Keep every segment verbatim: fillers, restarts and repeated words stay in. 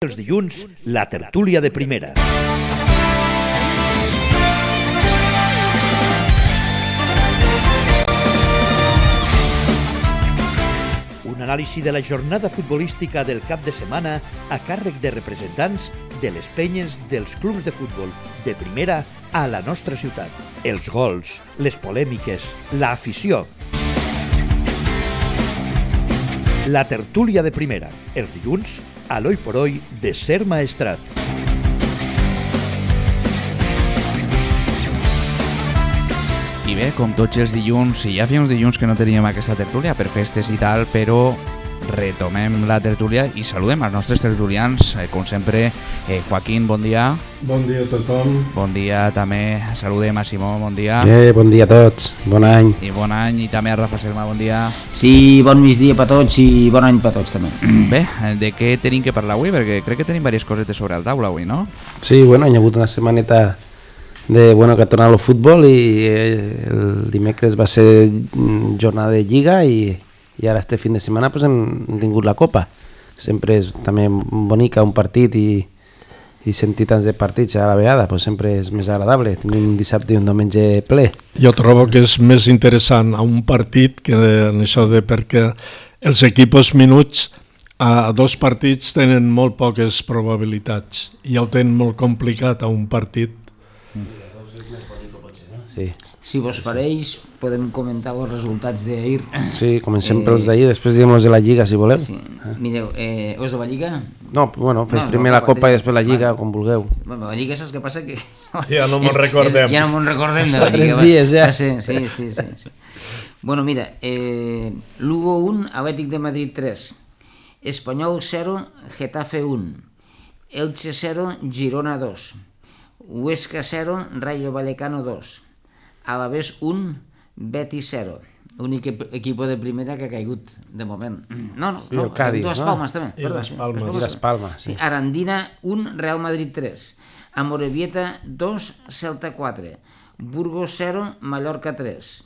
Els dilluns, la tertúlia de primera. Un anàlisi de la jornada futbolística del cap de setmana a càrrec de representants de les penyes dels clubs de futbol de primera a la nostra ciutat. Els gols, les polèmiques, l'afició. La tertúlia de primera, els dilluns, a l'Hoy por Hoy de Ser Maestrat. I bé, com tots els dilluns, i ja feia uns dilluns que no teníem aquesta tertúlia per festes i tal, però retomem la tertúlia i saludem als nostres tertulians. Eh, com sempre, eh, Joaquín, bon dia. Bon dia a tothom. Bon dia també, saludem a Simó, bon dia. Eh, bon dia a tots, bon any. I bon any, i també a Rafa Selma, bon dia. Sí, bon migdia per tots i bon any per tots també. Bé, de què tenim que parlar avui? Perquè crec que tenim diverses cosetes sobre el taula avui, no? Sí, bueno, hi ha hagut una setmaneta de, bueno, que ha tornat al futbol i eh, el dimecres va ser jornada de Lliga i, i ara este fin de setmana pues, hem tingut la Copa. Sempre és també bonica un partit i, i sentir tants de partits a la vegada pues, sempre és més agradable. Tenim un dissabte i un diumenge ple. Jo trobo que és més interessant a un partit que en això de perquè els equips minuts a dos partits tenen molt poques probabilitats i ja ho tenen molt complicat a un partit. Sí. Si vos pareix, podem comentar els resultats d'ahir. Sí, comencem eh, pels d'ahir, després diem els de la Lliga, si voleu. Sí. Mireu, eh, els de la Lliga? No, bueno, fes no, primer no, la Copa i després la Lliga, bueno, com vulgueu. Bueno, la Lliga saps què passa? Que ja no me'n recordem. És, ja no me'n recordem de la Lliga. Tres dies, ja. Sí, sí, sí, sí, sí. Bueno, mira, eh, Lugo un, Atlètic de Madrid tres, Espanyol cero, Getafe un, Elche cero, Girona dos, Huesca cero, Rayo Vallecano dos, Alavés un, Betis cero. L'únic equip de primera que ha caigut de moment. No, no, no, Cádiz, Dues no? Palmes també. I les Palmes. I les Palmes, sí. Sí, Arandina un, Real Madrid tres, Amorebieta dos, Celta quatre, Burgos cero, Mallorca tres,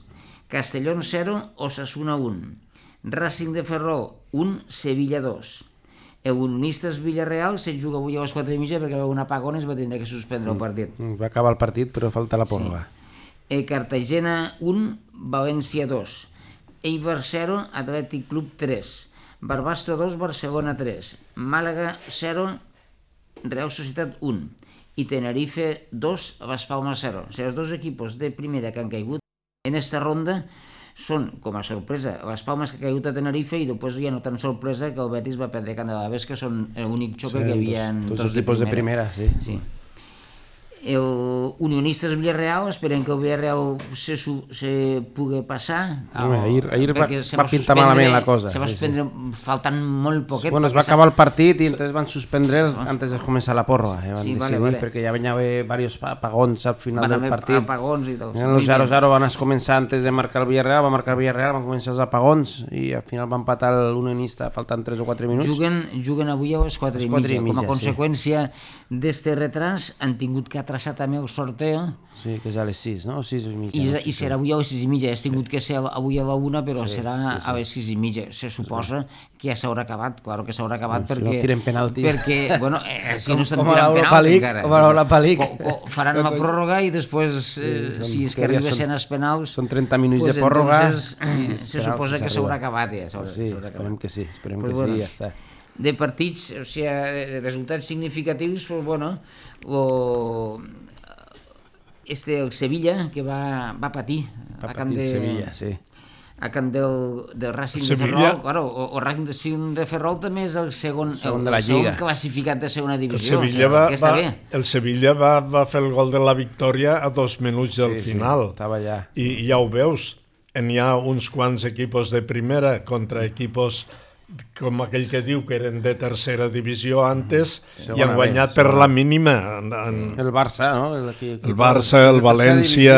Castellón cero, Osasuna un, Racing de Ferrol un, Sevilla dos. El Unionistes Villarreal se juga avui a les quatre i mitja perquè va haver un apagón i es va tenir que suspendre el partit. Va acabar el partit però falta la pròrroga. Sí. Eh, Cartagena un, València dos, Eibar zero, Atlètic Club tres, Barbastro dos, Barcelona tres, Màlaga zero, Real Societat un i Tenerife dos, Las Palmas zero. O sigui, els dos equipos de primera que han caigut en esta ronda són, com a sorpresa, les Palmes que ha caigut a Tenerife i després ja no tan sorpresa que el Betis va perdre Can de la Ves, que són l'únic xoque sí, que hi havia dos, dos, dos equipos de primera. De primera sí. Sí. El Unionistes Villarreal, esperem que el Villarreal se, se pugui passar. No, ahir ahir va, va pintar malament la cosa. Se va suspendre sí, sí. faltant molt poquet. Bueno, es va acabar el partit i entonces van suspendre sí, antes de començar la pròrroga. Eh? Van sí, decidir, vale, vale. perquè ja venia diversos apagons al final van del partit. Apagons i tot. El zero zero van començar antes de marcar el Villarreal, va marcar el Villarreal, van començar els apagons i al final van empatar l'Unionista faltant tres o quatre minuts. Juguen, juguen avui a les quatre i mitja. Com a conseqüència sí. d'este retras han tingut que atrasar també el sorteo. Sí, que és a les sis, no? sis i mitja. I, no? I serà avui a les sis i mitja. Has tingut que ser avui a la una, però sí, serà sí, sí. a les sis i mitja. Se suposa que ja s'haurà acabat, claro que s'haurà acabat si perquè... no tiren penaltis. Perquè, bueno, eh, si com, no estan tirant penaltis encara. Com a l'Europa League. Faran la pròrroga i després, eh, sí, si és que arribessin els penals... Són trenta minuts pues de pròrroga. Entonces, eh, se suposa que s'haurà acabat ja. Sí, esperem que sí, esperem pues que bueno, sí, ja està. De partits, o sigui, resultats significatius, pues bueno, lo... Este, el Sevilla, que va, va patir va a camp de... Sevilla, sí. A camp del, del Racing el de Ferrol. Claro, o, o Racing de Ferrol també és el segon, segon el, de la el segon Lliga. classificat de segona divisió. El Sevilla, o sigui, va, que està va, bé. el Sevilla va, va fer el gol de la victòria a dos minuts del sí, final. Sí, estava allà. I sí, ja ho veus, hi ha uns quants equipos de primera contra equipos com aquell que diu que eren de tercera divisió antes sí, i han guanyat bé, per la mínima. En, en... El Barça, no? El, aquí, aquí el Barça, el València,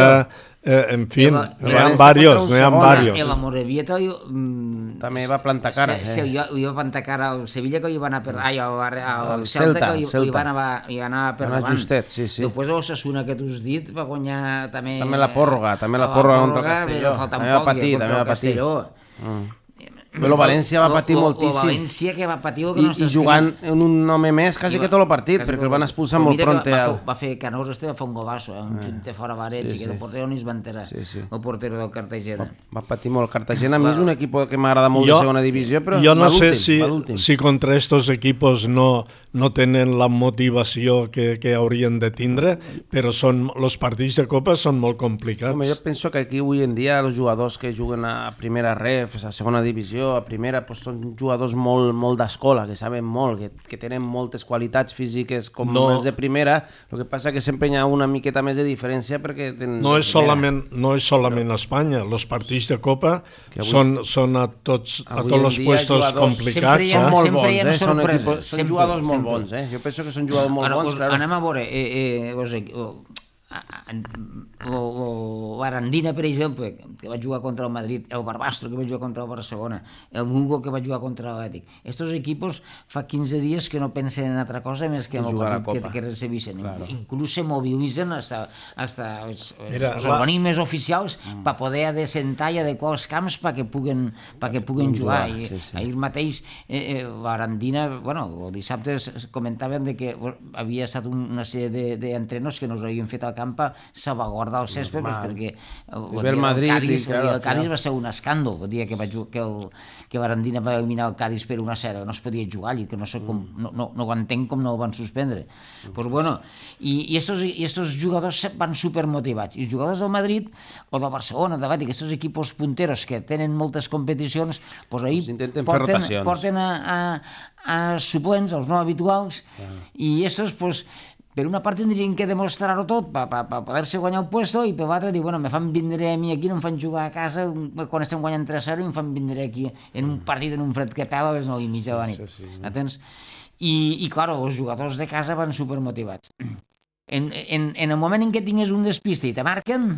eh, en fi, n'hi ha varios, n'hi ha varios. El Amorebieta mm, també va plantar cara. Se, se, eh? Jo va plantar cara al Sevilla, que hi va anar per... Ai, al, al Celta, que hi, hi va anar, hi va anar per davant. Justet, sí, sí. Després l'Osasuna, que tu has dit, va guanyar també... També la pròrroga, també la pròrroga contra el Castelló. Però falta un poc, patir, contra el Castelló. Mm. Però València va patir moltíssim. O València que va patir... I, i jugant en un home més quasi que tot el partit, perquè el van expulsar molt pronte. Va fer Canós, este va fer un golazo, un xunte fora Varets, i que el portero ni es va enterar, el portero del Cartagena. Va patir molt. Cartagena a mi és un equip que m'agrada molt de segona divisió, però jo no sé si, si contra estos equipos no, no tenen la motivació que, que haurien de tindre, però són, los partits de Copa són molt complicats. Home, jo penso que aquí avui en dia els jugadors que juguen a primera ref, a segona divisió, a primera, pues, són jugadors molt, molt d'escola, que saben molt, que, que tenen moltes qualitats físiques com no, els de primera, el que passa que sempre hi ha una miqueta més de diferència perquè tenen no és solament, no és solament a Espanya, els partits de Copa avui, són, són a tots, a tots els puestos complicats. Sempre hi ha, eh? sempre hi ha bons, sorpreses. Eh? Són, equipos, són sempre, jugadors molt sempre. bons, eh? Jo penso que són jugadors molt Ara, bons. us, Claro. Anem a veure, eh, eh, us, oh, l'Arandina, per exemple, que va jugar contra el Madrid, el Barbastro, que va jugar contra el Barcelona, el Hugo, que va jugar contra l'Atlètic. Estos equipos fa quinze dies que no pensen en altra cosa més que en el partit que, que recebixen. Claro. Inclús se mobilitzen hasta, hasta els, Mira, els organismes oficials mm. per poder adecentar i adequar els camps perquè puguen, perquè puguen jugar. jugar. I, sí, sí. Ahir mateix eh, eh, l'Arandina, bueno, el dissabte comentaven de que havia estat una sèrie d'entrenos que no us havien fet al camp a salvaguardar el cèsped, pues, perquè el, el, Madrid, el, Cádiz, claro, el Cádiz va ser un escàndol el dia que, va, que, el, que l'Arandina va eliminar el Cádiz per una zero, no es podia jugar allí, que no, sé com, no, no, no ho entenc com no el van suspendre. Pues bueno, i, i, estos, i estos jugadors van supermotivats, i els jugadors del Madrid o del Barcelona, de Bàtic, estos equipos punteros que tenen moltes competicions, pues ahir pues porten, porten a, a, a suplents, els no habituals, ah. i estos pues per una part tindrien que demostrar-ho tot per pa, pa poder-se guanyar el puesto i per l'altra dir, bueno, me fan vindre a mi aquí, no em fan jugar a casa quan estem guanyant tres a zero i em fan vindre aquí en un partit, en un fred que pela a les nou i mitja de la nit. Sí, sí. Atens? I, i clar, els jugadors de casa van supermotivats. En, en, en el moment en què tingues un despiste i te marquen,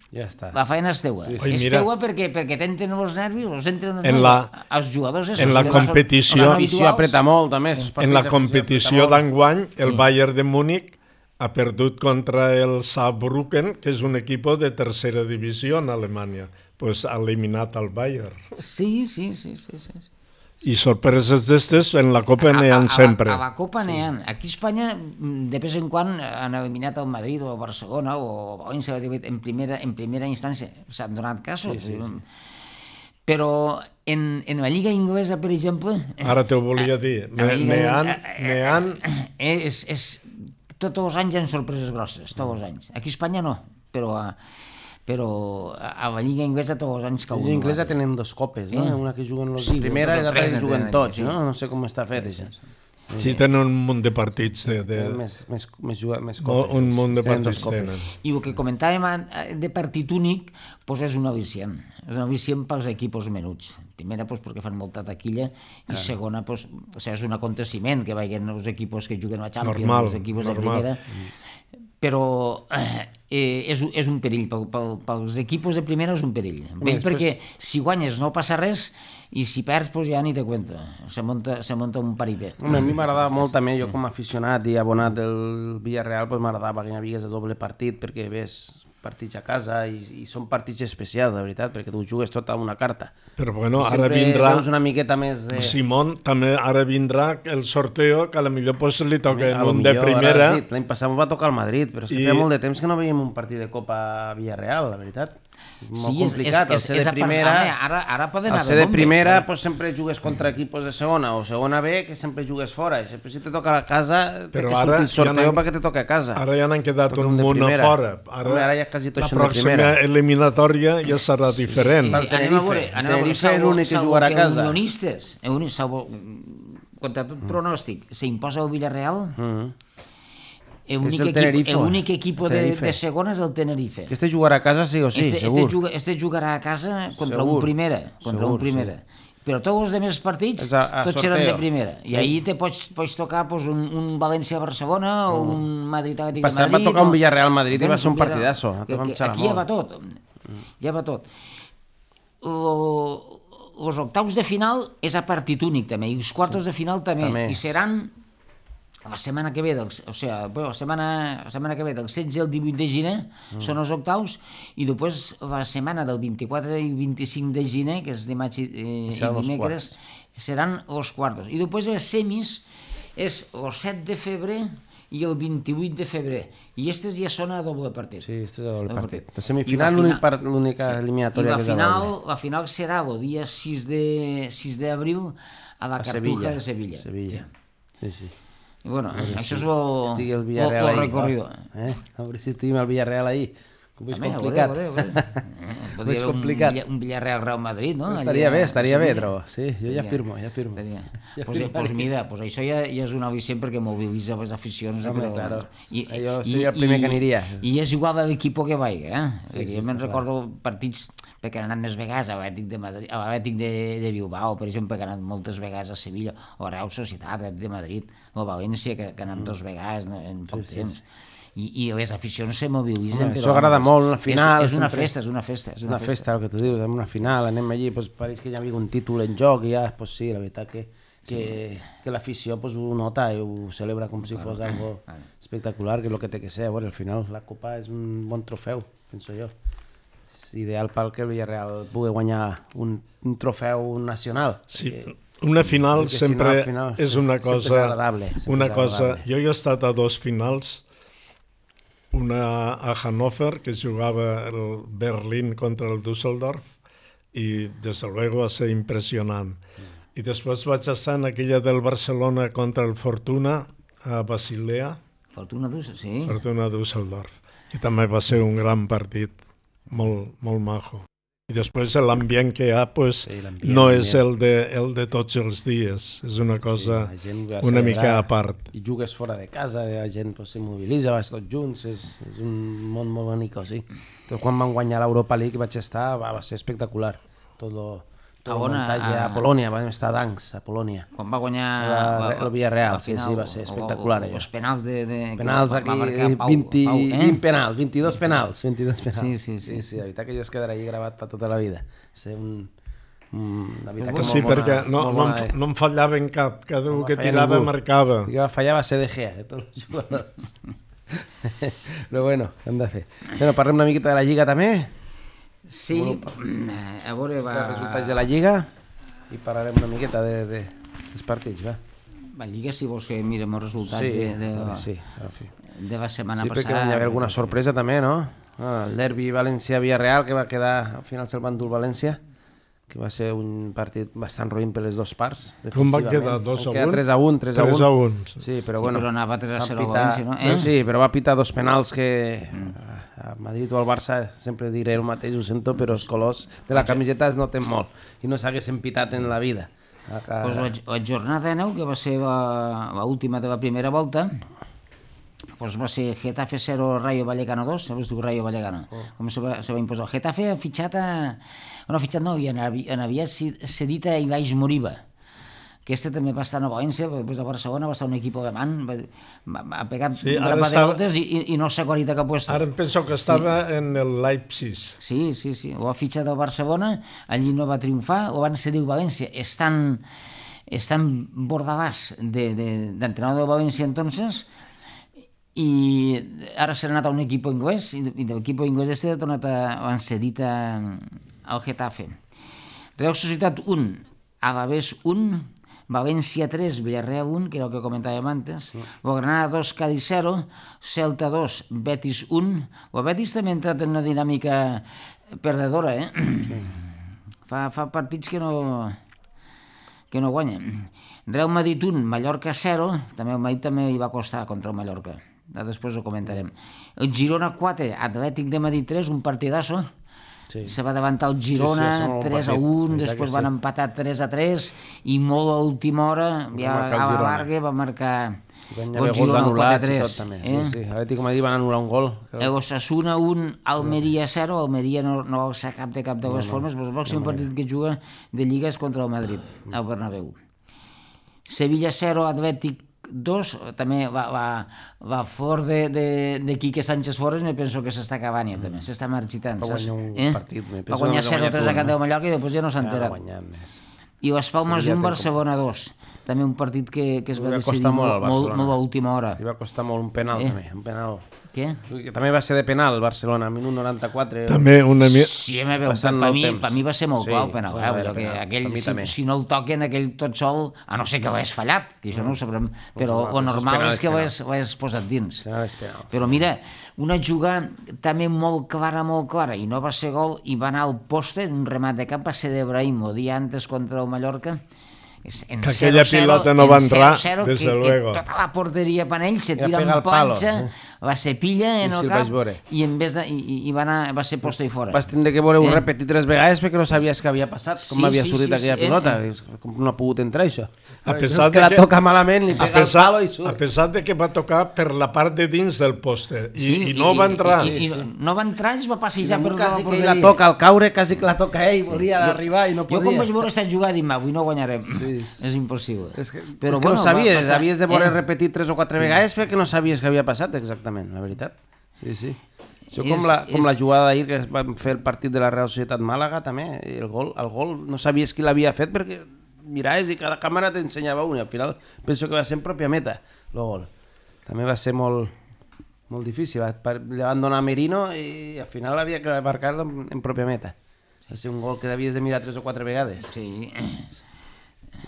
ja està. La feina és teua. Sí, sí. És teua perquè, perquè t'entren els nervis, els entren els nervis. La, els jugadors... En la competició... La competició apreta molt, també. En la competició d'enguany, el sí. Bayern de Múnich ha perdut contra el Saarbrücken, que és un equip de tercera divisió en Alemanya. Pues ha eliminat al Bayern. Sí, sí, sí, sí, sí. I sorpreses d'estes en la Copa n'hi ha sempre. A la, a la Copa n'hi ha. Aquí a Espanya, de vez en quan, han eliminat el Madrid o el Barcelona o València en primera, en primera instància. S'han donat casos. Sí, sí, sí. Però en, en la Lliga Inglesa, per exemple... Ara t'ho volia dir. N'hi ha... És, és, tots els anys hi ha sorpreses grosses, tots els anys. Aquí a Espanya no, però... però a la Lliga Inglesa tots els anys cau. La Lliga Inglesa tenen dos copes, no? Una que juguen els de primera i l'altra que juguen tots, no? No sé com està fet, això. Sí, tenen un munt de partits. Més copes. Un munt de partits tenen. I el que comentàvem de partit únic és un al·licient. És un al·licient pels equips menuts. Primera, perquè fan molta taquilla, i segona, és un aconteciment que vagin els equips que juguen a Champions, els equips de primera. Però eh, és, és un perill, pel, pel, pels equipos de primera és un perill. Perill perquè si guanyes no passa res i si perds pues ja ni te cuenta, se monta, se monta un paripé. Home, a mi m'agradava molt també, jo com a aficionat i abonat del Villarreal, pues m'agradava que hi hagués de doble partit perquè ves partits a casa i, i són partits especials, de veritat, perquè tu jugues tot a una carta. Però bueno, ara vindrà... veus una miqueta més de... Simón, també ara vindrà el sorteo, que a lo millor pues, li toca en un de primera. L'any passat va tocar el Madrid, però és que I... feia molt de temps que no veiem un partit de Copa a Villarreal, la veritat. Molt sí, complicat, és, és, el ser de primera, ara, ara poden el ser de primera pues, sempre jugues contra equipos de segona o segona B, que sempre jugues fora, i sempre si te toca a casa, però té que sortir el sorteo perquè te toca a casa. Ara ja n'han quedat un, un munt a fora. Ara, Home, ara ja quasi tot la pròxima eliminatòria ja serà sí, diferent. Sí. Anem a veure, anem a veure, és l'únic que jugarà a casa. Unionistes, contra tot pronòstic, s'imposa el Villarreal... L'únic equip de, de segona és el Tenerife. Que este jugarà a casa sí o sí, este, segur. Este, juga, este jugarà a casa contra segur. un primera. Contra segur, un primera. Sí. Però tots els altres partits, a, a tots sorteo. Seran de primera. I ahir te pots, pots tocar pues, un, un València-Barcelona mm. o un Madrid-Atlètic de Madrid. Passat va tocar un Villarreal-Madrid i va ser un partidasso. Que, que, aquí ja va tot. Ja va tot. Els octaus de final és a partit únic també, i els quartos de final també. també. I seran la setmana que ve, del, o sigui, la setmana, la setmana que ve del setze al divuit de gener mm. són els octaus, i després la setmana del vint-i-quatre i vint-i-cinc de gener, que és dimarts i, eh, i dimecres, seran els quartos. I després les semis és el set de febrer i el vint-i-vuit de febrer. I aquestes ja són a doble partit. Sí, aquestes a doble partit. La semifinal, l'única eliminatòria que és a doble. La final serà el dia sis d'abril a la Cartuja de Sevilla. Sevilla, sí, sí. I bueno, això és el recorrido. A veure si estiguem al Villarreal ahir. Com és complicat. Com és complicat. Un Villarreal-Real Madrid, no? Estaria bé, estaria bé, trobo. Sí, jo ja firmo, ja firmo. Doncs mira, això ja és un al·licient perquè mobilitza les aficions. Home, claro. Jo seria el primer que aniria. I és igual a l'equip que vagi, eh? Jo me'n recordo partits perquè han anat més vegades a l'Atlètic de Bilbao, per exemple, que han anat moltes vegades a Sevilla, o a Real Societat, l'Atlètic de Madrid, o a València, que han anat dues vegades en poc temps. I les aficions se mobilitzen. Això agrada molt, la final... És una festa, és una festa. És una festa, el que tu dius, en una final, anem allí, pareix que ja hi havia un títol en joc, i ja, doncs sí, la veritat que l'afició ho nota i ho celebra com si fos algo espectacular, que és el que té que ser. Al final la Copa és un bon trofeu, penso jo. És ideal pel que el Villarreal pugui guanyar un trofeu nacional. Sí, una final sempre és una cosa... Una cosa... Jo he estat a dos finals, una a Hannover, que jugava el Berlín contra el Düsseldorf, i desde luego va ser impressionant. I després vaig estar en aquella del Barcelona contra el Fortuna a Basilea. Fortuna Düsseldorf, sí. Fortuna Düsseldorf, que també va ser un gran partit, molt, molt majo. I després l'ambient que hi ha pues, sí, no és el de, el de tots els dies, és una cosa sí, una mica a part. I jugues fora de casa, la gent pues, s'immobilitza, vas tots junts, és, és un món molt bonic, sí. Però quan van guanyar l'Europa League vaig estar, va, va ser espectacular, tot lo... el muntatge a Polònia, vam estar d'Ancs, a Polònia. Quan va guanyar el Villarreal, sí, sí, va ser espectacular. Els penals de... Penals aquí, vint penals, vint-i-dos penals. Sí, sí, sí. La veritat que jo es quedarà allà gravat per tota la vida. Ser un... Sí, perquè no em fallaven cap, cada un que tirava marcava. El que va fallar va ser De Gea, de tots els jugadors. Però bueno, hem de fer. Parlem una miqueta de la Lliga també. Sí, a veure... Els resultats de la Lliga i parlarem una miqueta dels partits, va. La Lliga, si vols que mirem els resultats de la setmana passada... Sí, perquè hi ha alguna sorpresa també, no? El derbi València-Villarreal, que va quedar, al final se'l va endur València, que va ser un partit bastant roïn per les dues parts. Com va quedar? dos a un? tres a un. tres a un. Sí, però bueno... Però anava tres a zero a València, no? Sí, però va pitar dos penals que... A Madrid o al Barça sempre diré el mateix, ho sento, però els colors de la camiseta es noten molt i no s'haguessin pitat en la vida. La jornada nou, que va ser l'última de la primera volta, va ser Getafe zero, Rayo Vallecano dos, sabes tu Rayo Vallecano? Com se va imposar? El Getafe ha fitxat a... No, ha fitxat no, i havia cedit a Ibaix Moriba. Aquesta també va estar a València, després de Barcelona va estar un equip alemany, ha pegat un grapat de voltes i no s'ha guarit a cap lloc. Ara em penso que estava en el Leipzig. Sí, sí, sí, ho ha fitxat al Barcelona, allí no va triomfar, ho van cedir al València. Estan bordalàs d'entrenador de València entonces, i ara s'ha anat a un equip anglès, i de l'equip anglès este ha tornat a cedit al Getafe. Real Societat un, Alavés un, València tres, Villarreal un, que era el que comentàvem antes, o Granada dos, Cádiz zero, Celta dos, Betis un. O Betis també ha entrat en una dinàmica perdedora, eh? Fa partits que no que no guanyen. Real Madrid un, Mallorca zero, també el Madrid també hi va costar contra el Mallorca. Després ho comentarem. El Girona quatre, Atlètic de Madrid tres, un partidazo. Se va davantar el Girona tres a un, després van empatar tres a tres i molt a última hora ja a la Varga va marcar el Girona quatre a tres. L'Atlètic de Madrid van anul·lar un gol. El Osasuna un, Almeria zero, Almeria no alça cap de cap de les formes, però el pròxim partit que juga de Lliga és contra el Madrid, al Bernabéu. Sevilla zero, Atlètic dos, també va fort de Quique Sánchez Flores, me penso que s'està acabant ja també, s'està marxitant. Va guanyar un partit. Va guanyar zero a tres a Can de Mallorca i després ja no s'ha enterat. I Las Palmas un, Barcelona dos. També un partit que, que es va, va decidir molt, molt, molt a última hora. Li va costar molt un penal, eh? també. Un penal. Què? També va ser de penal, Barcelona, minut noranta-quatre. També una... Sí, me veu, per, per, mi, per mi va ser molt sí, clau el penal. Eh? Allò que aquell, si, si no el toquen aquell tot sol, a no ser que ho hagués fallat, que això no ho sabrem, però o normal és que ho hagués posat dins. Però mira, una jugada també molt clara, molt clara, i no va ser gol, i va anar al poste, un remat de camp, va ser d'Ebrahim, el dia antes contra el Mallorca, en que aquella pilota no va entrar, des de luego. Que tota la porteria per ell se tira en planxa, va ser pilla en el cap i en vez de, i, i va, anar, va ser posto i fora. Vas tindre que veure-ho repetir tres vegades perquè no sabies què havia passat, com havia sortit aquella pilota, com no ha pogut entrar això. A pesar que la toca malament, li pega el palo i surt. A pesar de que va tocar per la part de dins del poste i no va entrar. I no va entrar, es va passejar per tota la porteria. Quasi que la toca al caure, quasi que la toca ell, volia arribar i no podia. Jo com vaig veure aquesta jugada dic, avui no guanyarem. És impossible. És que, però bueno, no sabies, passar... havies de voler eh? repetir tres o quatre sí. vegades perquè no sabies què havia passat exactament, la veritat. Sí, sí. Això és, com, la, com és... la jugada d'ahir que vam fer el partit de la Real Societat Màlaga també, el gol, el gol no sabies qui l'havia fet perquè miraves i cada càmera t'ensenyava un i al final penso que va ser en pròpia meta el gol. També va ser molt, molt difícil, li van donar a Merino i al final havia que marcar-lo en, en pròpia meta. Va ser un gol que havies de mirar tres o quatre vegades. Sí.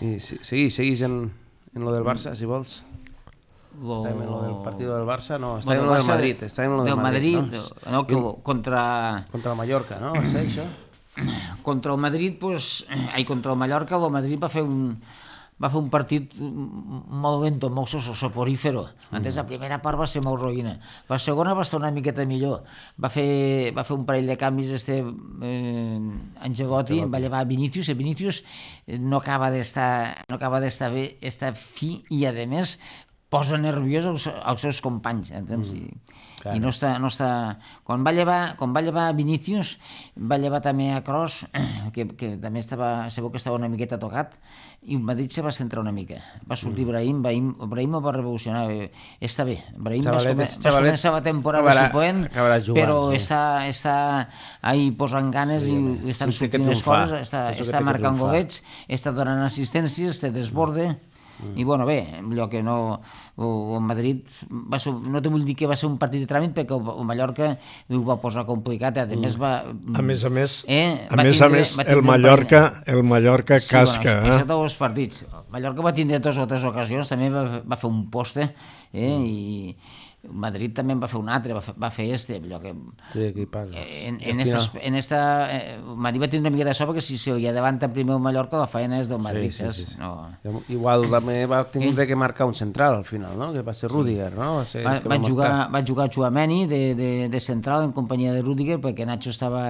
I seguís, seguís en, en lo del Barça, si vols. Lo... Està en lo del partit del Barça, no, està bueno, en lo del Madrid. Està en lo del, del Madrid, Madrid no? No, que contra... Contra el Mallorca, no? Va ser això? Contra el Madrid, pues, ai, contra el Mallorca, el Madrid va fer un, va fer un partit molt lento, molt soporífero. Antes la primera part va ser molt roïna. La segona va estar una miqueta millor. Va fer, va fer un parell de canvis este eh, Ancelotti, va llevar Vinícius, i Vinícius no acaba d'estar no acaba d'estar bé, està fi i a més posa nerviós els, els seus companys, entens? I, mm, i no està, no està... Quan va llevar, quan va llevar Vinícius, va llevar també a Kroos, que, que també estava, segur que estava una miqueta tocat, i el Madrid se va centrar una mica. Va sortir Brahim, Brahim, Brahim el va revolucionar. Està bé, Brahim va començar la temporada suplent, però està, està ahí posant ganes sí, i estan sí, sortint les coses, està, està marcant golets, està donant assistències, té desborde. Mm. I bueno, bé, allò que no el Madrid va ser, no te vull dir que va ser un partit de tràmit perquè el Mallorca ho va posar complicat, a més va a més a més, eh, a més, tindre, a més el Mallorca el Mallorca sí, casca, bueno, eh? Tots els partits. El Mallorca va tindre dues o tres ocasions, també va, va fer un poste, eh, mm. i Madrid també en va fer un altre, va fer, va fer este, allò que... Sí, aquí parla. En, en, esta, en esta... Eh, Madrid va tindre una mica de so perquè si, si hi davanta primer el Mallorca la feina és del Madrid. Sí, sí, sí, sí. No. Igual també va tindre que marcar un central al final, no? Que va ser Rüdiger, no? Va, ser va, va, va, jugar, va jugar Tchouaméni de, de, de central en companyia de Rüdiger perquè Nacho estava,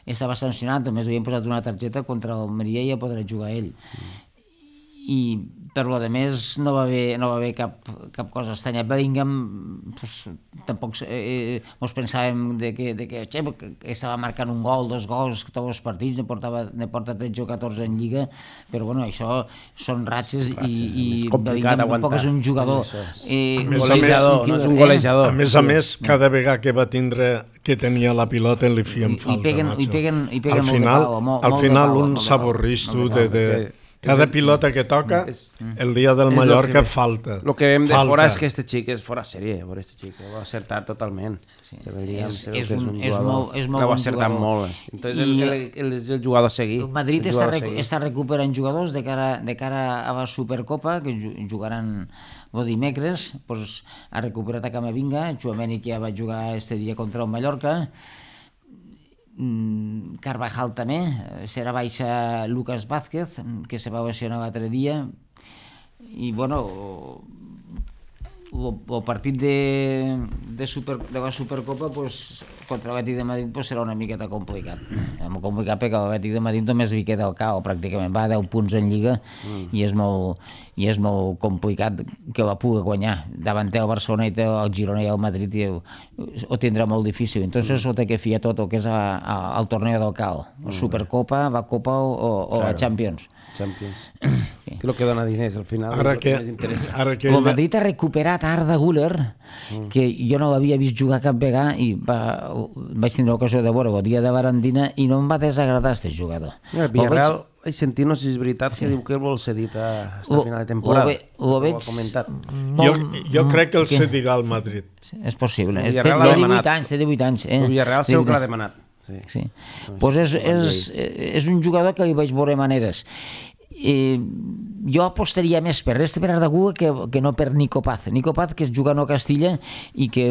estava sancionat, només havien posat una targeta contra el Maria i ja podrà jugar ell. Mm. I per lo de més no va haver, no va haver cap, cap cosa estranya. Bellingham, pues, tampoc eh, mos pensàvem de que, de que, che, que estava marcant un gol, dos gols, tots els partits, ne, portava, ne porta tretze o catorze en Lliga, però bueno, això són ratxes, ratxes i, i Bellingham tampoc és un jugador eh, golejador, no és un golejador. A més a més, cada vegada que va tindre que tenia la pilota li fien falta. I peguen, i peguen, i peguen al final, molt de pau. Molt, al molt final de pau, un saborristo de... de cada pilota que toca, el dia del Mallorca falta. El que veiem de fora és que este xic és fora sèrie, veure este xic, ho ha acertat totalment. Sí. És, és, un, és molt, és molt bon jugador. Molt. Entonces el, el, el, el jugador a seguir. El Madrid el està, recu està recuperant jugadors de cara, de cara a la Supercopa, que jugaran el dimecres, pues, ha recuperat a Camavinga, Tchouaméni que ja va jugar este dia contra el Mallorca, Carvajal també, serà baixa Lucas Vázquez, que se va lesionar l'altre dia, i bueno, el partit de, de, super, de la Supercopa pues, contra l'Atlètic de Madrid pues, serà una miqueta complicat. Molt complicat perquè l'Atlètic de Madrid només li queda el cau, pràcticament va a deu punts en Lliga mm. i, és molt, i és molt complicat que la pugui guanyar. Davant té el Barcelona i té el Girona i el Madrid i ho, ho tindrà molt difícil. Entonces mm. ho té que fiar tot el que és a, a, al torneo del cau. Mm. Supercopa, la Copa o, o, o claro. la Champions. Champions. Sí. Que lo que dona diners al final. Ara que, ara que el Madrid ha recuperat Arda Güler, mm. que jo no l'havia vist jugar cap vegada i va, vaig tindre l'ocasió de veure el dia de Barandina i no em va desagradar aquest jugador. El Villarreal, Ai, sentir, no sé si és veritat, que diu que el vol cedir a esta final de temporada. Ho veig... Jo, jo crec que el cedirà al Madrid. És possible. El Té Villarreal l'ha divuit demanat. anys, té divuit anys. El Villarreal segur que l'ha demanat. Sí. Sí. Pues és, és, és un jugador que li vaig veure maneres. Eh, jo apostaria més per este per Arda Güler que, que no per Nico Paz. Nico Paz, que és jugant a Castilla i que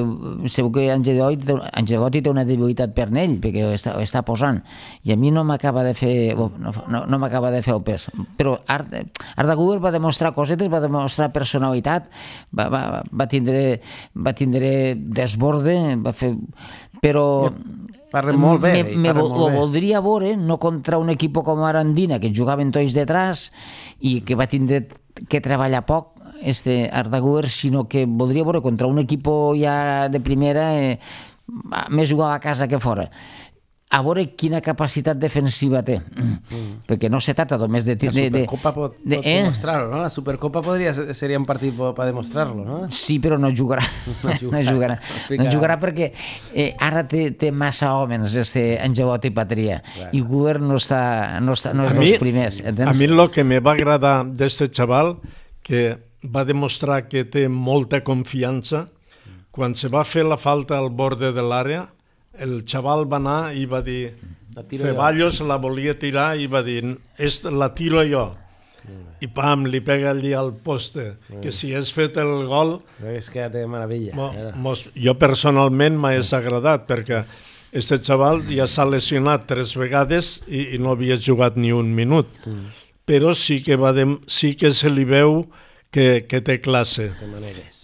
segur que Angelotti té una debilitat per ell, perquè està, està posant, i a mi no m'acaba de fer no, no, no m'acaba de fer el pes, però Arda, Arda Güler va demostrar cosetes, va demostrar personalitat, va, va, va tindre va tindre desborde, va fer, però parla molt bé, me, me parla vo, molt lo bé. voldria veure no contra un equip com Arandina, que jugaven tots detrás i que va tindre que treballar poc este Arda Güler, sinó que voldria veure contra un equip ja de primera, eh, més jugar a casa que fora, a veure quina capacitat defensiva té, mm. perquè no se trata només de... La de, de Supercopa pot, de, pot eh? demostrar-ho, no? La Supercopa podria, seria un partit per demostrar-lo, no? Sí, però no jugarà. No jugarà. No jugarà, no jugarà perquè eh, ara té, té massa homes, este Angelotti Patria, claro. I Güler no, està, no, està, no és A dels mi- primers. A mi el que me va agradar d'este xaval, que va demostrar que té molta confiança, quan se va fer la falta al borde de l'àrea, el xaval va anar i va dir, Ceballos la volia tirar i va dir, la tiro jo. I pam, li pega allí al poste, que si has fet el gol, És que ja té meravella. mo, mos, jo personalment m'ha desagradat, perquè este xaval ja s'ha lesionat tres vegades i, i no havia jugat ni un minut. Però sí que, va de, sí que se li veu que, que té classe.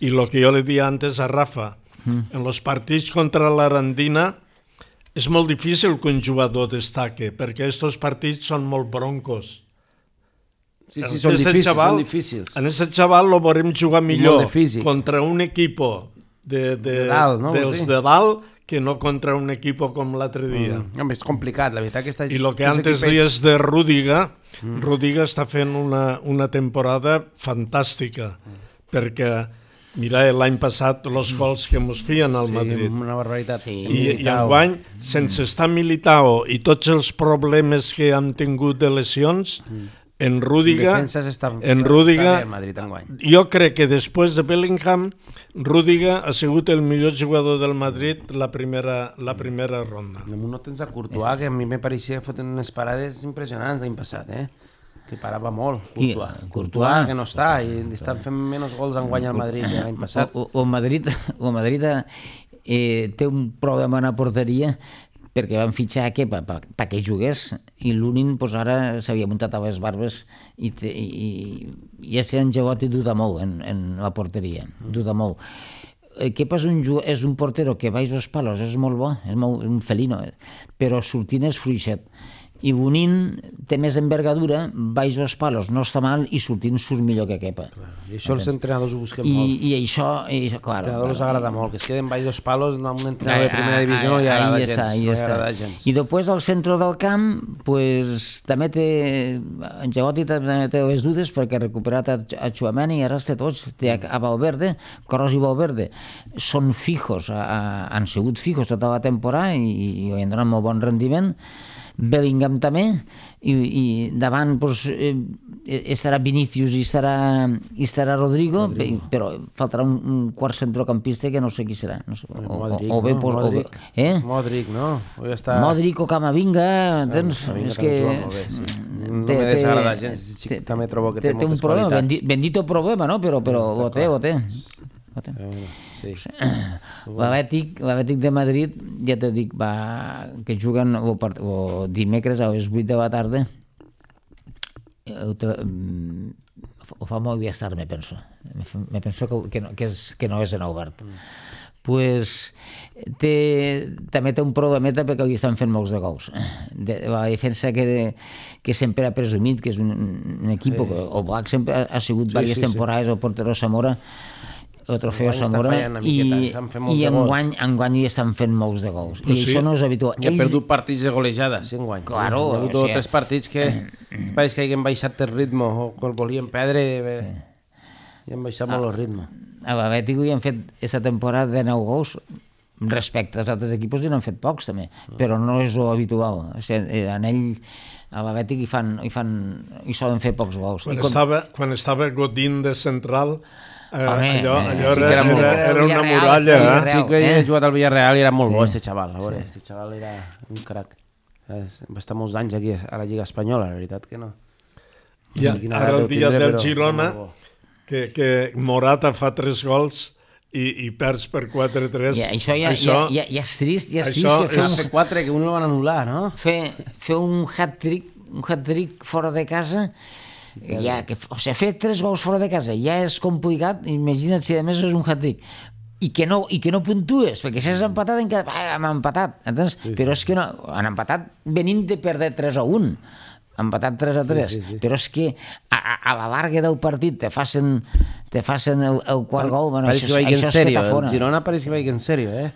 I el que jo li dia antes a Rafa, en els partits contra l'Arandina és molt difícil que un jugador destaque, perquè aquests partits són molt broncos. Sí, sí, són Este difícils, xaval, són difícils. En aquest xaval lo veurem jugar millor de físic. contra un equip de, de, De dalt, no? dels Sí. de dalt que no contra un equip com l'altre dia. Mm. Home, és complicat, la veritat que està... I el que antes dies de Rüdiger, mm. Rüdiger està fent una, una temporada fantàstica, mm. perquè mira, l'any passat els gols que ens feien al Sí, Madrid. una barbaritat. Sí. I, i enguany, sense estar Militao i tots els problemes que han tingut de lesions, en Rüdiger, Defenses està, en està Rüdiger, bé el Madrid enguany. jo crec que després de Bellingham, Rüdiger ha sigut el millor jugador del Madrid la primera, la primera ronda. Damunt no tens a Courtois, que a mi me pareixia que foten unes parades impressionants l'any passat, eh? Que parava molt, I, Courtois. Courtois. Courtois, que no està, i estan fent menys gols enguany al Madrid que l'any passat. O, o, o Madrid, o Madrid eh, té un problema en la porteria perquè van fitxar a Kepa perquè jugués, i l'Unin pues, ara s'havia muntat a les barbes i, te, i, i ese Angelotti duda molt en, en la porteria, duda molt. Kepa és un, és un portero que baix els palos, és molt bo, és molt, un felino, però sortint és fluixet. I Bonin té més envergadura, baix els palos, no està mal, i sortint surt millor que Kepa. I això els entrenadors ho busquen I, molt. I això, i, clar, Els entrenadors agrada molt, que es queden baix dos palos amb un Ah, entrenador de primera divisió no li agrada ahí gens. està, ahí no li està. agrada gens. I després al centre del camp, pues, també té, Angelotti també té les dudes perquè ha recuperat a, a Tchouaméni i ara té tots, té a, a Valverde, Kroos i Valverde, són fijos, a, a, han sigut fijos tota la temporada i, i han donat molt bon rendiment. Bellingham també, i, i davant pues, eh, estarà Vinícius i estarà, i estarà Rodrigo, Rodrigo, però faltarà un, un quart centrocampista que no sé qui serà. No sé, o, Modric, o, o bé, no? pues, Modric. O bé, eh? Modric, no? Hoy està... Modric o Camavinga, tens, Camavinga és també que... juga molt bé, sí. No me desagrada gens, sí, també trobo que té té un moltes problema, qualitats. bendi, bendito problema, no? Però, però ho té, ho té. Ho té. Sí. L'Atlètic l'Atlètic de Madrid, ja te dic, va, que juguen o, part, o dimecres a les vuit de la tarda, ho, te, ho fa molt bé estar, me penso. Me penso que, que, no, que, és, que no és en obert. Mm. Pues té, també té un problemeta perquè li estan fent molts de gols. De, la defensa que, que sempre ha presumit, que és un, un equip, sí. o Black sempre ha, ha sigut sí, diverses sí, temporades, sí. El portero Zamora, el trofeu Zamora, i, i enguany, enguany hi estan fent molts de gols. I sí. Això no és habitual. I ha perdut partits de golejada, sí, enguany. Claro. Hi ha hagut o tres partits que pareix que hagin baixat el ritme, o que el volien perdre, sí. I han baixat molt el ritme. A l'Atlètic hi han fet aquesta temporada de nou gols, respecte als altres equips n'han fet pocs també, però no és lo habitual. O sigui, en ell a l'Atlètic hi fan, hi fan hi solen fer pocs gols. Quan, I com... estava, quan estava Godín de central, eh, Home, allò, eh, allò sí era, que era molt- era, era una Villarreal, muralla. sí, Eh? Sí que eh? he jugat al Villarreal i era molt Sí. bo, este xaval. A veure, Sí. este xaval era un crac. És- Va estar molts anys aquí a la Lliga Espanyola, la veritat que no. I Sí, quina ara edat el deu dia tindre, del però Girona, molt bo. que, que Morata fa tres gols i, i perds per quatre tres. Ja, això, ja, això, ja, ja, ja és trist, ja és això trist que fer, és- Fer quatre, que un el van anul·lar, no? fer, fer un hat-trick un hat-trick fora de casa, ja, que, o sigui, fer tres gols fora de casa ja és complicat, imagina't si a més és un hat-trick i que no, i que no puntues, perquè si has empatat encara, ah, hem empatat, entens? Sí, sí. Però és que no, han empatat venint de perdre tres a un, empatat tres a tres, Sí, sí, sí. però és que a, a, a la larga del partit te facen, te facen el, el quart gol, bueno, Pareix això, que vagi això en és sèrio, que el t'afona. Girona pareix que vagi en sèrio, eh?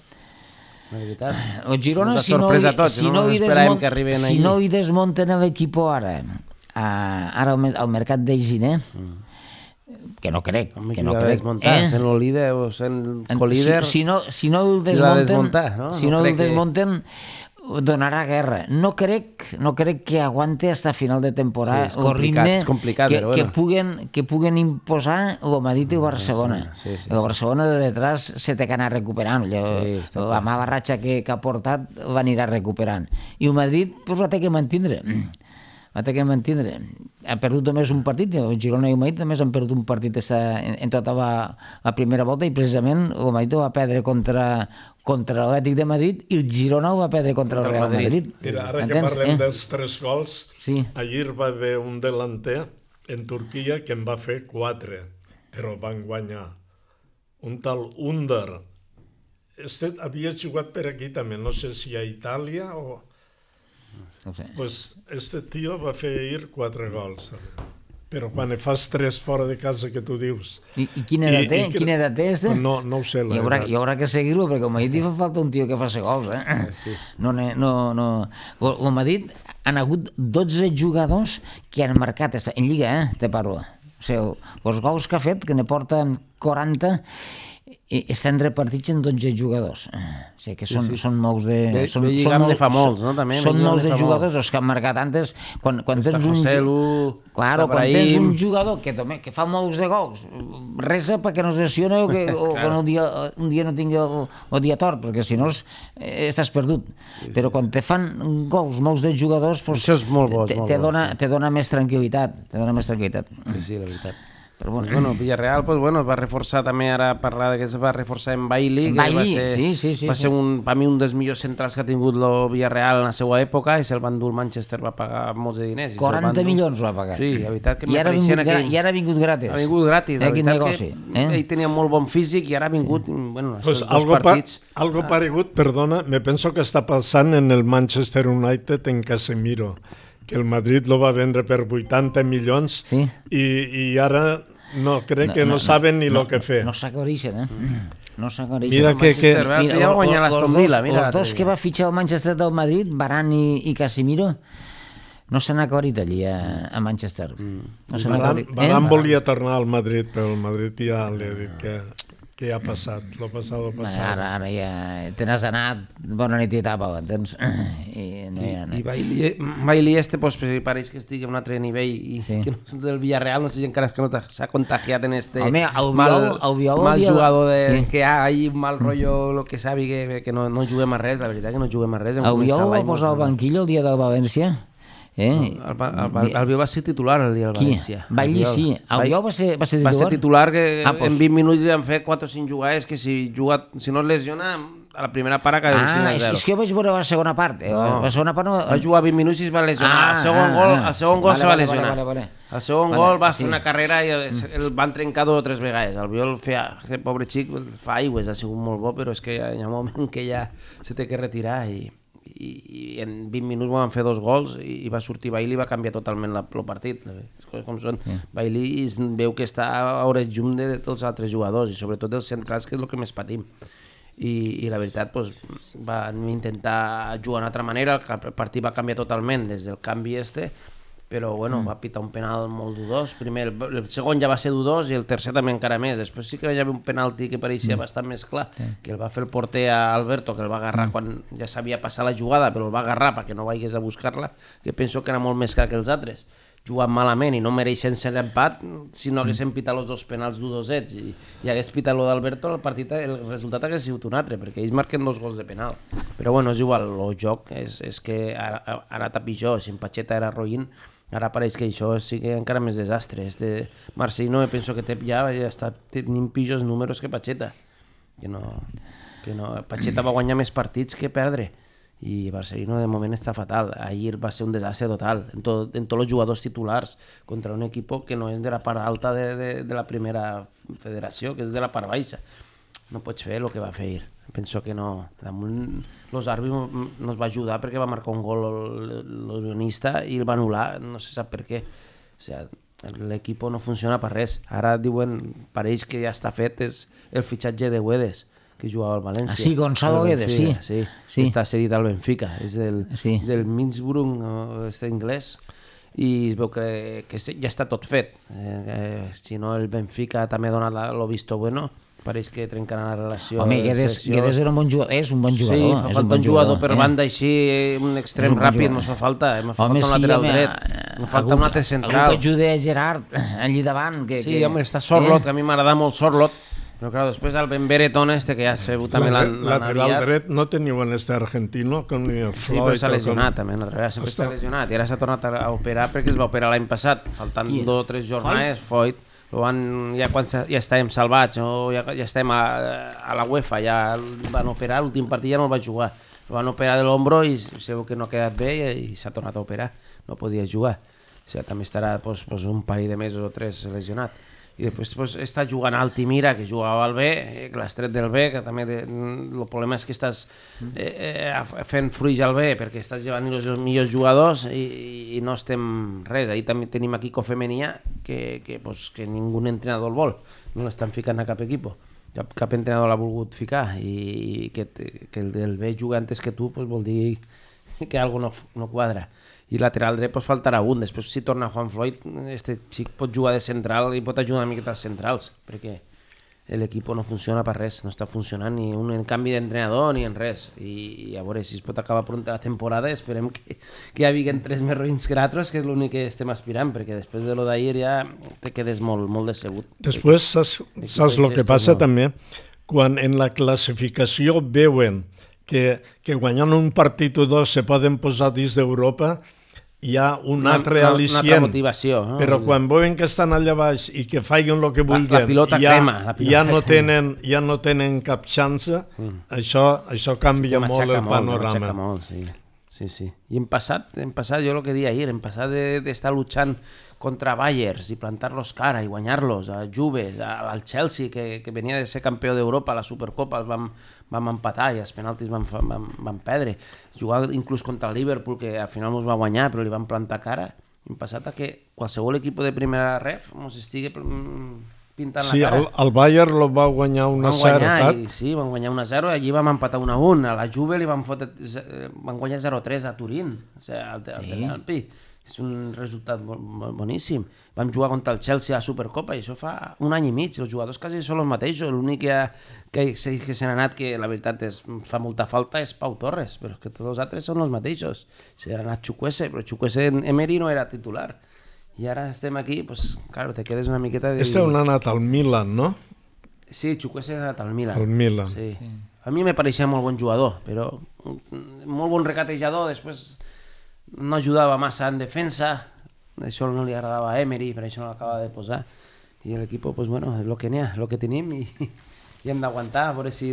La veritat. El Girona, Molta si no, sorpresa a tots, si no no, ens hi esperàvem desmont, que arriben si allí. no hi desmunten l'equip ara, a, ara al, mes- al mercat de Giner, que no crec, Home, que qui no l'ha crec. desmuntat, eh? sent el líder o sent En- colíder. Si, si, no, si no el Qui l'ha desmunten, desmuntat, no? si No no, el crec que- desmunten, donarà guerra. No crec, no crec que aguante hasta final de temporada Sí, és el complicat, ritme és complicat, que, però que, bueno. puguen, que puguen imposar el Madrid i el Barcelona. Sí, sí, sí. El Barcelona de detrás se té que anar recuperant. Allò, Sí, està la clar, mala ratxa que, que ha portat l'anirà recuperant. I el Madrid pues, la té que mantindre. La té que mantindre. Ha perdut només un partit, el Girona i el Madrid només han perdut un partit esta, en, en tota la, la primera volta i precisament el Madrid ho va perdre contra, contra l'Atlètic de Madrid i el Girona ho va perdre contra el Real Madrid. Mira, ara que Entens? parlem Eh? dels tres gols, Sí. ahir va haver un delanter en Turquia que en va fer quatre, però van guanyar. Un tal Under. Este havia jugat per aquí també, no sé si a Itàlia o... No ho sé. Pues este tio va fer ahir quatre gols. Però quan ne fas tres fora de casa que tu dius... I, i quina edat I- té? i que- Quina edat té este? No, no ho sé, la Hi haurà, veritat. hi haurà que seguir-lo, perquè al Madrid hi fa falta un tio que faci gols, eh? Sí. No, ne- no, no... El el Madrid han hagut dotze jugadors que han marcat, esta- en Lliga, eh, te parlo. O sigui, els gols que ha fet, que ne porta quaranta, i estan repartits en dotze jugadors. O sigui que són, sí. són molts de... Bé, són, bé, Lligam ne fa molts, no, també? Són Lligam molts ne de fa jugadors molts. els que han marcat antes. Quan, quan Està tens un... Joselu, Claro, quan Ibrahim. tens un jugador que, també, que fa molts de gols, resa perquè no es lesiona o que, o que no, un, dia, un dia no tingui el, el dia tort, perquè si no es, eh, estàs perdut. Però quan te fan gols molts de jugadors, pues, Això és molt bo, és te, molt te, bo, dona, sí. te dona més tranquil·litat. Te dona més tranquil·litat. Sí, sí, la veritat. Però bueno, Bueno, Villarreal, pues, bueno, es va reforçar també, ara parlar de que es va reforçar en Bailey, En que Bailey, va ser, sí, sí, sí, va sí. ser un, per mi un dels millors centrals que ha tingut el Villarreal en la seva època, i se'l van dur el Manchester, va pagar molts de diners. i se'l van quaranta dur. milions va pagar. Sí, la veritat que I ara, ha m'apareixia vingut, en gra aquell... I ara ha vingut gratis. Ha vingut gratis, la Eh, quin veritat negoci. que Eh? ell tenia molt bon físic i ara ha vingut, bueno, Pues estos dos algo, pa partits... algo paregut, perdona, me penso que està passant en el Manchester United en Casemiro, que el Madrid lo va vendre per vuitanta milions Sí. i, i ara no, crec que no, no saben ni lo que fer. No s'acoreixen, eh? No s'acoreixen. Mira que- que- Manchester, l'altre dia va guanyar l'Aston Villa, mira. Els l'altre dos dia. que va fitxar el Manchester del Madrid, Varane i, i Casemiro, no s'han acorrit allí a, a Manchester. No s'han Varane, acorrit. Varane volia tornar al Madrid, però el Madrid ja li ha dit que, que ja ha passat, lo passat, lo Bé, passat. ara, ara ja te n'has anat, bona nit i tapa, entens? I no hi ha... I Bailey, Bailey este pues, pareix que estigui a un altre nivell i Sí. que no és del Villarreal, no sé si encara és que no s'ha contagiat en este Home, el mal, Biol- el Biol mal havia- jugador de, sí. que hi ha ahí un mal rotllo, lo que sabi que, que no, no juguem a res, la veritat que no juguem a res. El Biol va posar al banquillo el dia del València. Eh? El, el, el, el Biol va ser titular el dia del Qui? València. Bailey sí. El Biol va ser, va ser Va titular? ser titular, que Ah, pues- en vint minuts ja han fet quatre o cinc jugades que si, juga, si no es lesiona, a la primera part acaba Ah, cinc a és, zero. és que jo vaig veure la segona part. Eh? No. La segona part no... Va jugar vint minuts i es va lesionar. Ah, el segon ah, gol, ah. el segon gol Vale, se va vale, lesionar. vale, vale, vale. El segon Vale, gol va sí. fer una carrera i el, el van trencar dos o tres vegades. El Biol feia, aquest pobre xic fa aigües, ha sigut molt bo, però és que hi ha un moment que ja se té que retirar i, i, i en vint minuts van fer dos gols i, i va sortir Bailey i va canviar totalment la, el partit. Les coses com són. Sí. Bailey es veu que està a hores llum de, de tots els altres jugadors i sobretot dels centrals, que és el que més patim. I, i la veritat pues, van intentar jugar d'una altra manera, el partit va canviar totalment des del canvi este, però bueno, va pitar un penal molt dudós. Primer, el, el segon ja va ser dudós i el tercer també encara més. Després sí que hi havia un penalti que pareixia mm. bastant més clar, sí. que el va fer el porter a Alberto, que el va agarrar mm. quan ja sabia passar la jugada, però el va agarrar perquè no vagis a buscar-la, que penso que era molt més clar que els altres. Jugant malament i no mereixen ser l'empat, si no haguessin pitat els dos penals dudosets i, i hagués pitat lo d'Alberto, el partit, el resultat hagués sigut un altre, perquè ells marquen dos gols de penal. Però bueno, és igual, el joc és, és que ha, ha anat a pitjor. Si en Pacheta era roïn, ara pareix que això sigui encara més desastre. Este Marcelino penso que té, ja, ja està tenint pitjors números que Pacheta. Que no, que no. Pacheta va guanyar més partits que perdre. I Marcelino de moment està fatal. Ahir va ser un desastre total en, tot, en tots els jugadors titulars contra un equip que no és de la part alta de, de, de la primera federació, que és de la part baixa. No pots fer el que va fer ahir. Penso que no. Damunt, los àrbitres no es va ajudar perquè va marcar un gol l'unionista i el va anul·lar, no se sap per què. O sigui, l'equip no funciona per res. Ara diuen, pareix que ja està fet és el fitxatge de Guedes, que jugava al València. Ah, sí, Gonzalo Guedes, sí. Sí, sí. Està cedit al Benfica, és del, sí. del Minsburg, este anglès, i es veu que, que ja està tot fet. Eh, eh, si no, el Benfica també ha donat el visto bueno, pareix que trencarà la relació. Home, Guedes, Guedes era un bon jugador, és un bon jugador. Sí, fa és falta un bon un jugador jugador, per eh? banda així, un extrem un ràpid, no fa falta, eh? Me fa home, falta un sí, lateral home, dret, me falta algú, un altre central. Algú que ajude a Gerard allí davant. Que, sí, que... home, està Sorlot, eh? que a mi m'agrada molt Sorlot, però clar, després el Ben Beretón este, que ja s'ha fet també l'han lateral dret no teniu en este argentino com ni el Floyd. Sí, però s'ha lesionat com... també, una altra vegada, sempre està lesionat i ara s'ha tornat a operar perquè es va operar l'any passat, faltant I... dos o tres jornades, Foyt, van, ja quan ja estàvem salvats o ja, ja estem a, a la UEFA, ja el van operar, l'últim partit ja no el va jugar, el van operar de l'ombro i segur que no ha quedat bé i, i s'ha tornat a operar, no podia jugar, o sigui, també estarà pues, pues, un parell de mesos o tres lesionat. I després pues, està jugant Altimira, que jugava al B, eh, que l'has tret del B, que també de, el problema és que estàs eh, eh, fent fruits al B perquè estàs llevant els millors jugadors i, i no estem res. Ahir també tenim aquí Cofemenia, que, que, pues, que ningú entrenador el vol, no l'estan ficant a cap equip. Cap, cap entrenador l'ha volgut ficar i, i que, que el del B juga antes que tu pues, vol dir que alguna no, no quadra. I lateral dret pues, faltarà un. Després si torna Juan Floyd, este xic pot jugar de central i pot ajudar una miqueta als centrals, perquè l'equip no funciona per res, no està funcionant ni un canvi d'entrenador ni en res. I, i a veure si es pot acabar pronta la temporada, esperem que, que hi hagin tres més roïns que altres, que és l'únic que estem aspirant, perquè després de lo d'ahir ja te quedes molt, molt decebut. Després saps, saps el que passa no. també? Quan en la classificació veuen que, que guanyant un partit o dos se poden posar dins d'Europa, hi ha un una, altre una, al·licient, una altra motivació, no? Però quan veuen que estan allà baix i que facin el que vulguin, la, la pilota ja, crema, la pilota ja, no crema. tenen, ja no tenen cap xance, mm. això, això canvia sí, molt el molt, panorama. Molt, sí. Sí, sí. I hem passat, hem passat, jo el que deia ahir, hem passat d'estar de, luchant contra Bayers i plantar-los cara i guanyar-los, a Juve, al Chelsea, que, que venia de ser campió d'Europa a la Supercopa, els vam, vam empatar i els penaltis vam, vam, vam perdre. Jugar inclús contra el Liverpool, que al final ens va guanyar, però li vam plantar cara. Hem passat a que qualsevol equip de primera ref ens estigui pintant sí, la cara. Sí, el, el Bayern lo va guanyar un a zero. Sí, van guanyar un a zero i allí vam empatar un a un. A la Juve li van, fotre, van guanyar zero a tres a Turín, o sigui, al, al sí. Alpi. És un resultat boníssim. Vam jugar contra el Chelsea a la Supercopa i això fa un any i mig. Els jugadors quasi són els mateixos. L'únic que, que, que se n'ha anat, que la veritat és, fa molta falta, és Pau Torres, però és que tots els altres són els mateixos. Se n'ha anat Chukwueze, però Chukwueze en Emery no era titular. I ara estem aquí, pues, claro, te quedes una miqueta de... Este on ha anat al Milan, no? Sí, Chukwueze ha anat al Milan. Al Milan. Sí. A mi me pareixia molt bon jugador, però molt bon recatejador, després no ajudava massa en defensa, això no li agradava a Emery, per això no l'acaba de posar. I l'equip, pues bueno, és el que n'hi ha, el que tenim i, i hem d'aguantar, a veure si,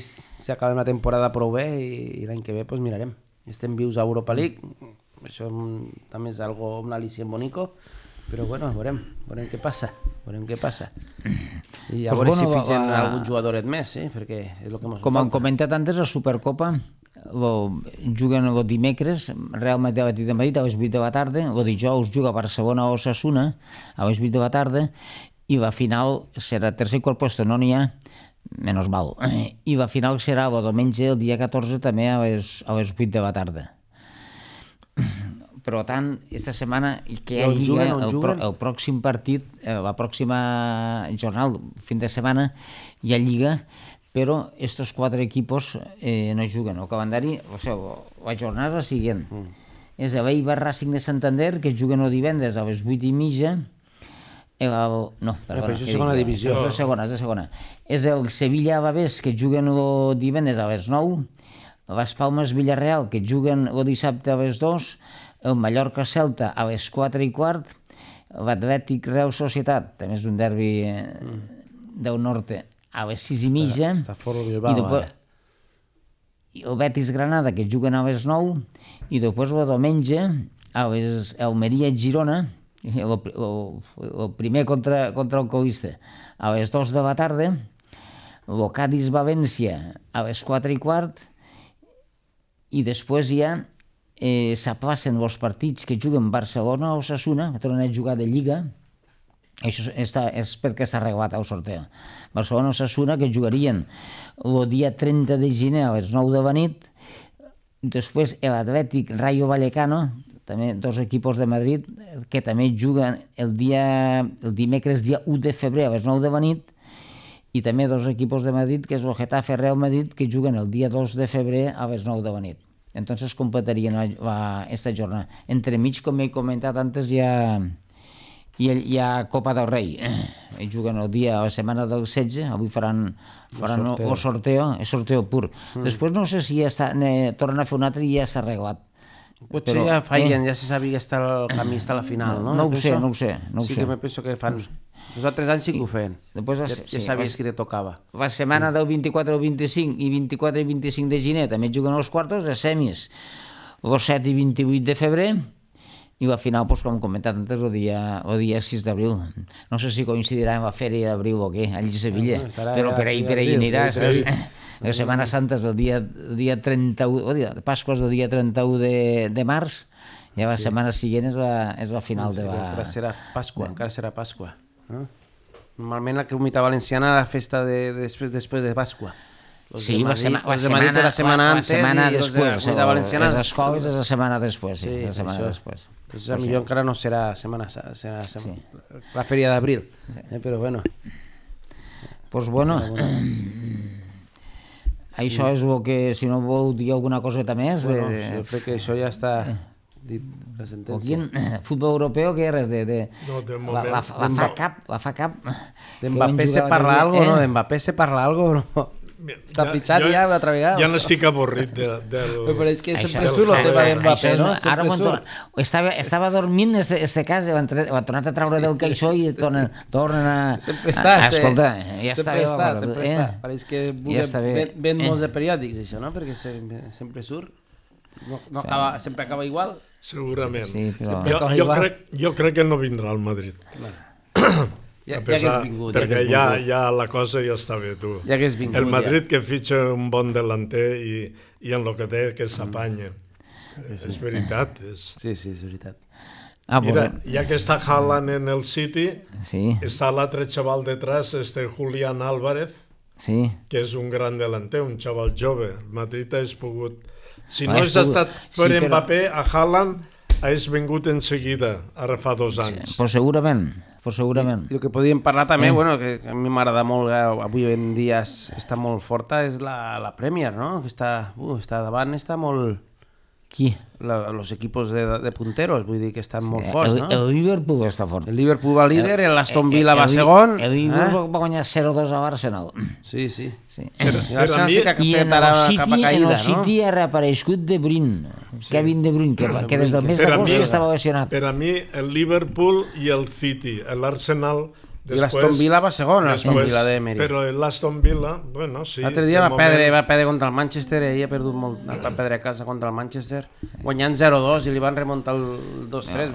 si acabem la temporada prou bé i, i l'any que ve pues mirarem. Estem vius a Europa League, això també és algo, un al·licient bonico, però bueno, veurem, veurem què passa, veurem què passa. I a pues veure bueno, si fitxen va, algun jugadoret més, eh? Perquè és el que mos com han comentat antes, la Supercopa lo, juguen el dimecres, Real Madrid a Madrid a les vuit de la tarda, el dijous juga Barcelona o Osasuna a les vuit de la tarda i la final serà tercer i quart puesto, no n'hi ha, menys mal, i la final serà el diumenge, el dia catorze, també a les, a les vuit de la tarda. per tant, aquesta setmana que hi ha on lliga, juguen, on el, pro, juguen? el pròxim partit, eh, la pròxima jornada, fin de setmana, hi ha lliga, però estos quatre equipos eh, no juguen. El calendari, o sigui, la jornada és la següent. Mm. És el Eibar Racing de Santander, que juguen el divendres a les vuit i mitja. El, no, perdona. Però això és segona divisió. És de segona, és de segona. És el Sevilla Bavés, que juguen el divendres a les nou. Les Palmes Villarreal, que juguen el dissabte a les dos. El Mallorca Celta a les quatre i quart. L'Atlètic Real Societat, també és un derbi mm. del Norte, a les sis i mitja. Està fora el Bilbao, després, el Betis Granada, que juguen a les nou, i després el diumenge a les Almeria Girona, el, el, el primer contra, contra el colista, a les dos de la tarda, el Cádiz València a les quatre i quart, i després ja eh, s'aplacen els partits que juguen Barcelona o Osasuna, que tornen a jugar de Lliga. Això està, és perquè està arreglat el sorteo. Barcelona o Osasuna, que jugarien el dia trenta de gener a les nou de la nit. Després l'Atlètic Rayo Vallecano, també dos equipos de Madrid, que també juguen el, dia, el dimecres dia u de febrer a les nou de la nit, i també dos equipos de Madrid, que és el Getafe Real Madrid, que juguen el dia dos de febrer a les nou de la nit. Entonces completarien la, la, esta jornada. Entremig, com he comentat antes, hi ha, hi ha, hi ha Copa del Rei. Eh, juguen el dia, a la setmana del setze, avui faran, faran el sorteo, el sorteo, el sorteo pur. Mm. Després no sé si ja està, ne, tornen a fer un altre i ja està arreglat. Potser però, ja fallen, eh? Ja se sabia que està el camí està a la final, no? No, no ho sé, no ho sé. No ho sí sé. que me penso que fan... Els altres anys sí que ho feien. Després ja, ja sabies sí, que te tocava. La setmana del vint-i-quatre al vint-i-cinc i vint-i-quatre i vint-i-cinc de gener també juguen els quartos, de semis, el set i vint-i-vuit de febrer, i la final, pues, com hem comentat antes, el dia, el dia sis d'abril. No sé si coincidirà amb la fèria d'abril o què, allí a Sevilla, no, però per ahir, per ahir anirà. La Setmana Santa és el dia, el dia trenta-u, o dia, Pasqua és el dia trenta-u de, de març, i la sí. setmana següent és la, és la final sí, de la... Encara serà Pasqua, encara serà Pasqua. No? Normalment la Comunitat Valenciana la festa de, de, després, després de Pasqua. Los sí, de la, sema, la, de setmana, la setmana antes la setmana i després, los de la Valenciana... Les escoles és la setmana després, sí, sí la setmana això. després. Pues a millor encara no serà setmana, serà, serà sí. la fèria d'abril, eh, però bueno. Pues bueno, això és el que, si no vol dir alguna coseta més... Bueno, de... jo crec que això ja està... dit la sentència. Aquí, futbol europeu, què res? De, de... No, de la, la, la, fa cap, la fa cap... D'Mbappé se parla algo, eh? no? D'Mbappé se parla algo, no? Està ja, pitxat jo, ja una altra vegada. Ja n'estic avorrit de, del... Però és que sempre surt el tema d'Mbappé, no? Ara surt. Estava, estava dormint este, este cas, ho ha tornat a treure del caixó i tornen, tornen a... Sempre està, a, escolta, ja sempre està, està, sempre eh? està. Pareix que ja ven, ven eh? molts de periòdics, això, no? Perquè sempre, sempre surt. No, no acaba, sempre acaba igual. Segurament. Sí, però... jo, jo, crec, jo crec que no vindrà al Madrid. Claro. Ja, ja hagués vingut. Perquè ja, ja, ja la cosa ja està bé, tu. Ja hagués vingut, el Madrid ja. que fitxa un bon delanter i, i en el que té que s'apanya. Mm. Sí. És veritat. És... Sí, sí, és veritat. Ah, Mira, ja que està Haaland en el City, sí. està l'altre xaval detrás, este Julián Álvarez, sí. que és un gran delanter, un xaval jove. El Madrid ha pogut... Si no ha hagués estat per sí, Mbappé, però... a Haaland hagués vingut en seguida, ara fa dos anys. Sí, però segurament... Però segurament. I el que podíem parlar també, eh. bueno, que a mi m'agrada molt, avui en dia està molt forta, és la, la Premier, no? Que està, uh, està davant, està molt... Qui? La, los equipos de, de punteros, vull dir que estan sí, molt forts, el, no? El Liverpool està fort. El Liverpool va líder, l'Aston Villa va segon. El Liverpool eh? va guanyar zero dos a l'Arsenal. Sí, sí. sí. Però, I l'Arsenal sí que ha fet ara cap a caïda, no? En el City ha reapareixut De Bruyne, sí. Kevin De Bruyne, que, que des del mes d'agost que estava lesionat. Per a mi, el Liverpool i el City, l'Arsenal... I l'Aston Villa va segon, l'Aston Villa d'Emery. Però l'Aston Villa, bueno, sí... L'altre dia va, moment... perdre, va perdre contra el Manchester, ell ha perdut molt, va perdre a casa contra el Manchester, guanyant zero dos i li van remuntar el dos tres.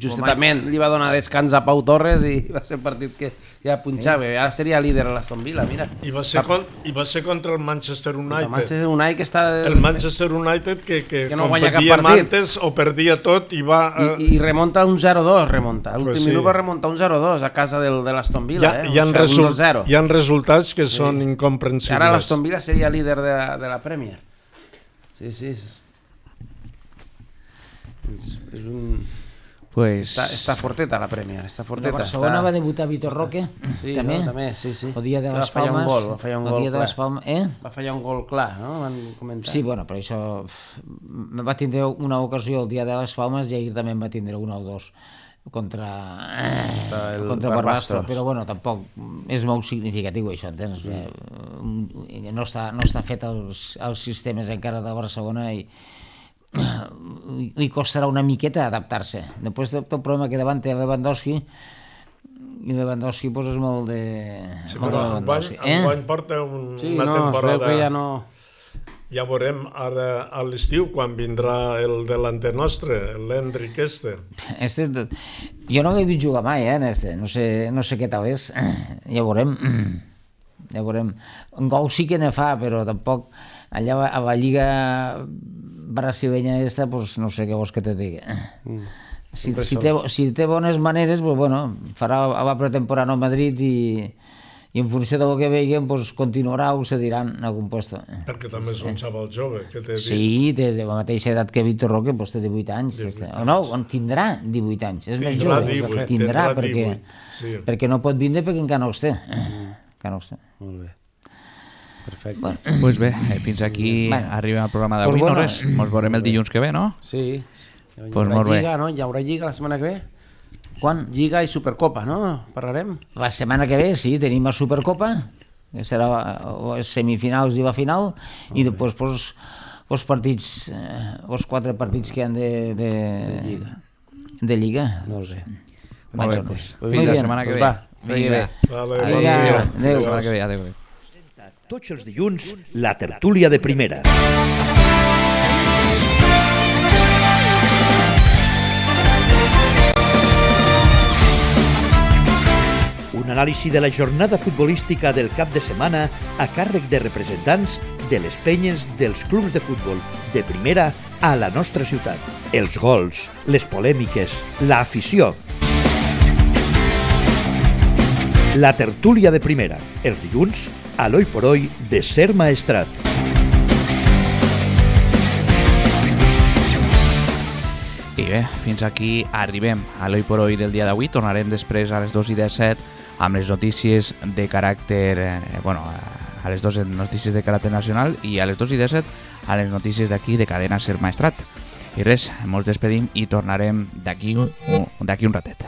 Justament li va donar descans a Pau Torres i va ser un partit que ja punxava. Ara seria líder l'Aston Villa, mira. I va ser, con, i va ser contra el Manchester United. El Manchester United que està... El Manchester United que, que, que no guanya cap partit. Antes o perdia tot i va... Uh... I, I remunta un zero dos, remunta. A l'últim pues sí. minut va remuntar un zero dos a casa del, de l'Aston Villa. Hi ha, eh? hi, ha o sigui, result, hi ha resultats que sí. són incomprensibles. I ara l'Aston Villa seria líder de, de la Premier. Sí, sí. És, és un... Pues... Està, està forteta la Premier, està La forteta. Barcelona està... va debutar Vitor Roque, Sí, també. no, també, sí, sí. El dia de Va les fallar un Palmes. gol, va fallar un el gol dia de clar. les Palmes, eh? Va fallar un gol clar, no? Van comentar. Sí, bueno, però això... uf, va tindre una ocasió el dia de les Palmes i ahir també en va tindre una o dos contra, Contra el contra Barbastro, Barbastro. però bueno, tampoc és molt significatiu això, entens? Mm. No està, no està fet els, els sistemes encara de Barcelona i i costarà una miqueta adaptar-se. Després del problema que davant té Lewandowski, i Lewandowski pues, és molt de... Sí, molt de però Lewandowski. enguany, enguany porta un, Sí, una no, es veu temporada... que ja no... Ja veurem ara a l'estiu quan vindrà el delanter nostre, l'Hendrik este. Este, jo no l'he vist jugar mai, eh, en este. No sé, no sé què tal és. Ja veurem. Ja veurem. Un gol sí que ne fa, però tampoc allà a la lliga brasilenya esta, pues, no sé què vols que te digui. Mm. Si, si, té, si té bones maneres, pues, bueno, farà la pretemporada al Madrid i, i en funció del que veiem pues, continuarà o se diran en algun puesto. Perquè també és un xaval jove, que té dit. Sí, té de la mateixa edat que Vitor Roque, doncs té divuit anys. divuit O no, tindrà divuit anys, és més Tindrà jove. divuit, Tindrà, tindrà perquè, divuit, sí. perquè no pot vindre perquè encara no els té. Encara no els té. Molt bé. Perfecte. Bueno, Pues bé, eh, fins aquí Bueno. arriba el programa d'avui, Pues no bueno. res? Ens veurem el dilluns que ve, no? Sí. Hi Pues haurà molt bé. lliga, no? Hi haurà lliga la setmana que ve? quan? Lliga i Supercopa, no? Parlarem? La setmana que ve, sí, tenim la Supercopa, que serà les semifinals i la final, i després pues, els partits, eh, els quatre partits que han de, de, De lliga. de lliga. Molt bé. Molt bé, Vaja, pues, muy fins la bien. setmana que Pues ve. va, vagi bé. Vale, Vinga, bon dia. Fins la adéu. setmana que ve, adéu. Tots els dilluns, la tertúlia de primera. Un anàlisi de la jornada futbolística del cap de setmana a càrrec de representants de les penyes dels clubs de futbol de primera a la nostra ciutat. Els gols, les polèmiques, l'afició. La tertúlia de primera, els dilluns, a l'Oi por Hoy de Ser Maestrat. I bé, fins aquí arribem a l'Oi por Hoy del dia d'avui. Tornarem després a les dos i disset amb les notícies de caràcter, eh, bueno, a les dues notícies de caràcter nacional i a les dos i disset a les notícies d'aquí de Cadena Ser Maestrat. I res, ens despedim i tornarem d'aquí un, d'aquí un ratet.